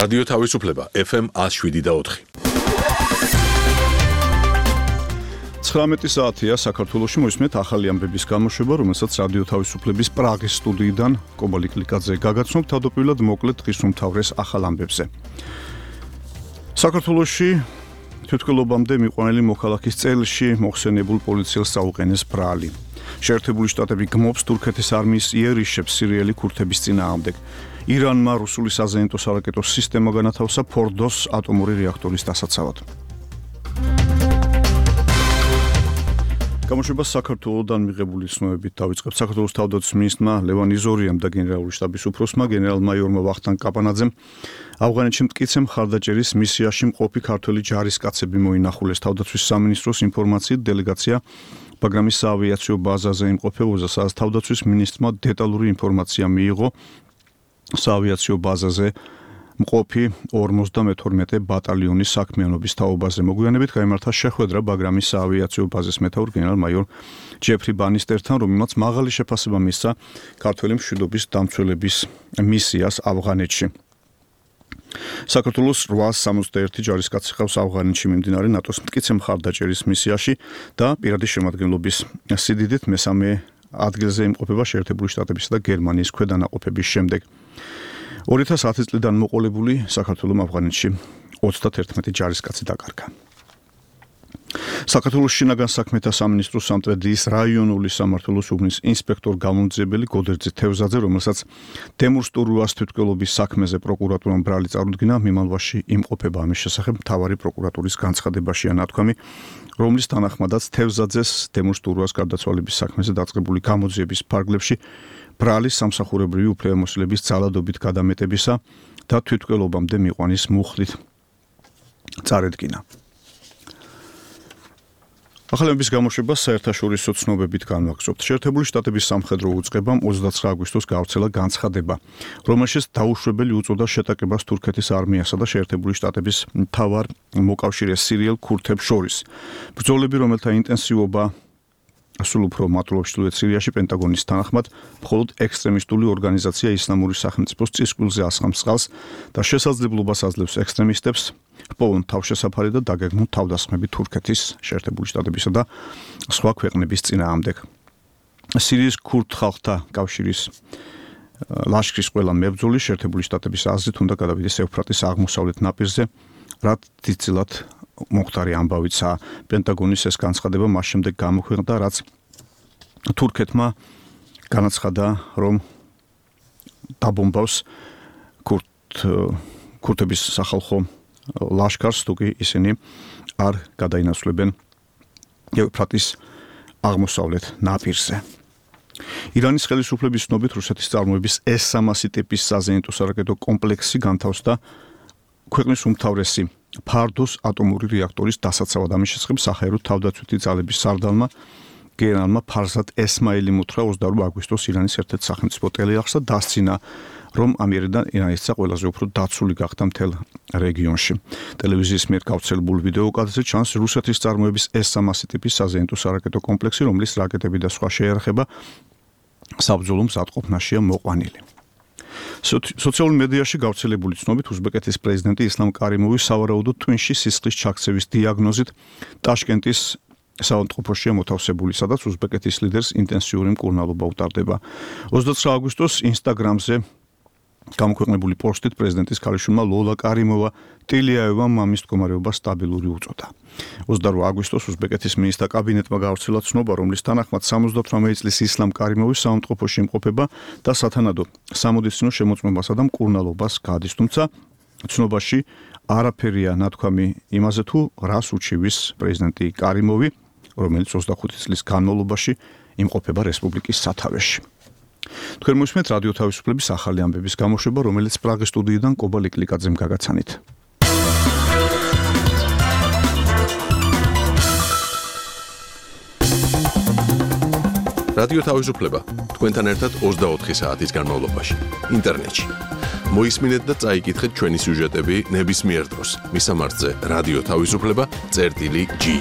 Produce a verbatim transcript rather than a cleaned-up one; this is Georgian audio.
რადიო თავისუფლება ეფ ემ ათს შვიდი და ოთხი. ცხრამეტი საათია საქართველოში მოისმენთ ახალი ამბების გამოშვება, რომელსაც რადიო თავისუფლების პრაღის სტუდიიდან კობალიკ ლიკაძე გაგაცნობთ. თავდაპირველად მოკლედ დღის უმთავრეს ახალ ამბებზე. საქართველოში თვითმკვლელობამდე მიყვანილი მოქალაქის წელში მოხსენებულ პოლიციელს წაუყენეს ბრალი. შეერთებული შტატები გმობს თურქეთის არმიის იერიშებს სირიელი ქურთების წინააღმდეგ. ირანმა რუსული საზეიმო სარაკეტო სისტემა განათავსა ფორდოს ატომური რეაქტორის დასაცავად. გამოშვებას საქართველოსდან მიღებული ცნობებით დავიწყებთ. საქართველოს თავდაცვის მინისტრმა ლევან იზორიამ და გენერალური შტაბის უფროსმა გენერალ-მაიორმა ვახტანგ კაპანაძემ ავღანეთში მტკიცე მხარდაჭერის მისიაში მყოფი ქართველი ჯარისკაცები მოინახულეს. თავდაცვის სამინისტროს ინფორმაციით დელეგაცია ბაგრამის საავიაციო ბაზაზე იმყოფებოდა, სადაც თავდაცვის მინისტრმა დეტალური ინფორმაცია მიიღო საავიაციო ბაზაზე მყოფი ორმოცდამეთორმეტე ბატალიონის საქმიანობის თაობაზე. მოგვიანებით გაიმართა შეხვედრა ბაგრამის საავიაციო ბაზის მეთაურ გენერალ-მაიორ ჯეფრი ბანისტერთან, რომელმაც მაღალი შეფასება მისცა ქართველი მშვიდობის დამცველების მისიას ავღანეთში. საქართველოს რვაას სამოცდაერთი ჯარისკაცი ყავს ავღანეთში მიმდინარე ნატოს მტკიცე მხარდაჭერის მისიაში და პირადი შემადგენლობის სიდიდით მესამე ადგილზე იმყოფება შეერთებული შტატებისა და გერმანიის ქვედანაყოფების შემდეგ. ორი ათას ათი წლიდან მოყოლებული საქართველოს ავღანეთში ოცდათერთმეტი ჯარისკაცი დაკარგა. საქართველოს შინაგან საქმეთა სამინისტროს სამტრედიის რაიონული სამმართველოს უბნის ინსპექტორ გამომძიებელი გოდერძი თევზაძე, რომელსაც თემურ სტურუას თვითმკვლელობის საქმეზე პროკურატურამ ბრალი წარუდგინა, მიმალვაში იმყოფება. ამის შესახებ მთავარი პროკურატურის განცხადებაშია ნათქვამი, რომლის თანახმადაც თევზაძეს თემურ სტურუას გარდაცვალების საქმეზე დაწყებული გამოძიების ფარგლებში ბრალის სამსახურებრივი უფლებამოსილების ძალადობით გადამეტებისა და თვითმკვლელობამდე მიყვანის მუხლით წარედგინა. ახალების გამოშვებას საერთაშორისო ცნობებით განვაგრძობთ. შეერთებული შტატების სამხედრო უწყებამ ოცდაცხრა აგვისტოს გავრცელა განცხადება, რომელშიც დაუშვებელი უწოდა შეტაკებას თურქეთის არმიასა და შეერთებული შტატების მთავარ მოკავშირეს სირიელ ქურთებს შორის. ბრძოლები, რომელთა ინტენსივობა სულ უფრო მატულობს ჩრდილოეთ სირიაში, პენტაგონის თანახმად, მხოლოდ ექსტრემისტული ორგანიზაცია ისლამური სახელმწიფოს წისკვილზე ასხამს წყალს და შესაძლებლობას აძლევს ექსტრემისტებს ჰპოვონ თავშესაფარი და დაგეგმონ თავდასხმები თურქეთის, შეერთებული შტატებისა და სხვა ქვეყნების წინააღმდეგ. სირიის ქურთ ხალხთა კავშირის ლაშქრის ყველა მებრძოლი შეერთებული შტატების აზრით უნდა გადავიდეს ევფრატის აღმოსავლეთ ნაპირზე, რაც დიდწილად მომხდარი ამბავიცაა. პენტაგონის ეს განცხადება მას შემდეგ გამოქვეყნდა, რაც თურქეთმა განაცხადა, რომ დაბომბავს ქურთ ქურთების სახალხო ლაშქარს, თუკი ისინი არ გადაინაცვლებენ ევფრატის აღმოსავლეთ ნაპირზე. ირანის ხელისუფლების ცნობით რუსეთის წარმოების ეს სამასი ტიპის საზეიმო სარაკეტო კომპლექსი განთავსდა ქვეყნის უმთავრესი ფარდოს ატომური რეაქტორის დასაცავად. ამის შესახებ საჰაერო თავდაცვითი ძალების სარდალმა გენერალმა ფარზად ესმაილი მუთხრა ოცდაორი აგვისტოს ირანის ერთ-ერთ სახელმწიფო ტელეარხსა დასცინა, რომ ამიერიდან ირანისა ყველაზე უფრო დაცული გახდა მთელ რეგიონში. ტელევიზიის მიერ გავრცელებულ ვიდეოკადრზე ჩანს რუსეთის წარმოების ეს სამასი ტიპის საზეიმო სარაკეტო კომპლექსი, რომლის რაკეტები და სხვა შეიარაღება საბრძოლო მზადყოფნაშია მოყვანილი. სოციალურ მედიაში გავრცელებული ცნობით უზბეკეთის პრეზიდენტი ისლამ კარიმოვი სავარაუდოდ ტვინში სისხლის ჩაქცევის დიაგნოზით ტაშკენტის საავადმყოფოშია მოთავსებული, სადაც უზბეკეთის ლიდერს ინტენსიური მკურნალობა უტარდება. ოცდაცხრა აგვისტოს ინსტაგრამზე გამოქვეყნებული პოსტით პრეზიდენტის ქალიშვილმა ლოლა კარიმოვა ტილიაევამ მამის მდგომარეობა სტაბილური უწოდა. ოცდაორი აგვისტოს უზბეკეთის მინისტრთა კაბინეტმა გავრცელა ცნობა, რომლის თანახმად სამოცდაოთხმეტი წლის ისლამ კარიმოვი საავადმყოფოში იმყოფება და სათანადო სამედიცინო შემოწმებასა და მკურნალობას გადის, თუმცა ცნობაში არაფერია ნათქვამი იმაზე, თუ რას უჩივის პრეზიდენტი კარიმოვი, რომელიც ოცდახუთი წლის განმავლობაში იმყოფება რესპუბლიკის სათავეში. თქვენ მოსმენთ რადიო თავისუფლების ახალი ამბების გამოშვება, რომელიც პრაღის სტუდიიდან კობალიკ ლიკაძემ გაგაცანით. რადიო თავისუფლება თქვენთან ერთად ოცდაოთხი საათის განმავლობაში ინტერნეტში. მოისმინეთ და წაიკითხეთ ჩვენი სიუჟეტები ნებისმიერ დროს. მისამართზე რადიო თავისუფლება წერტილი ჯი.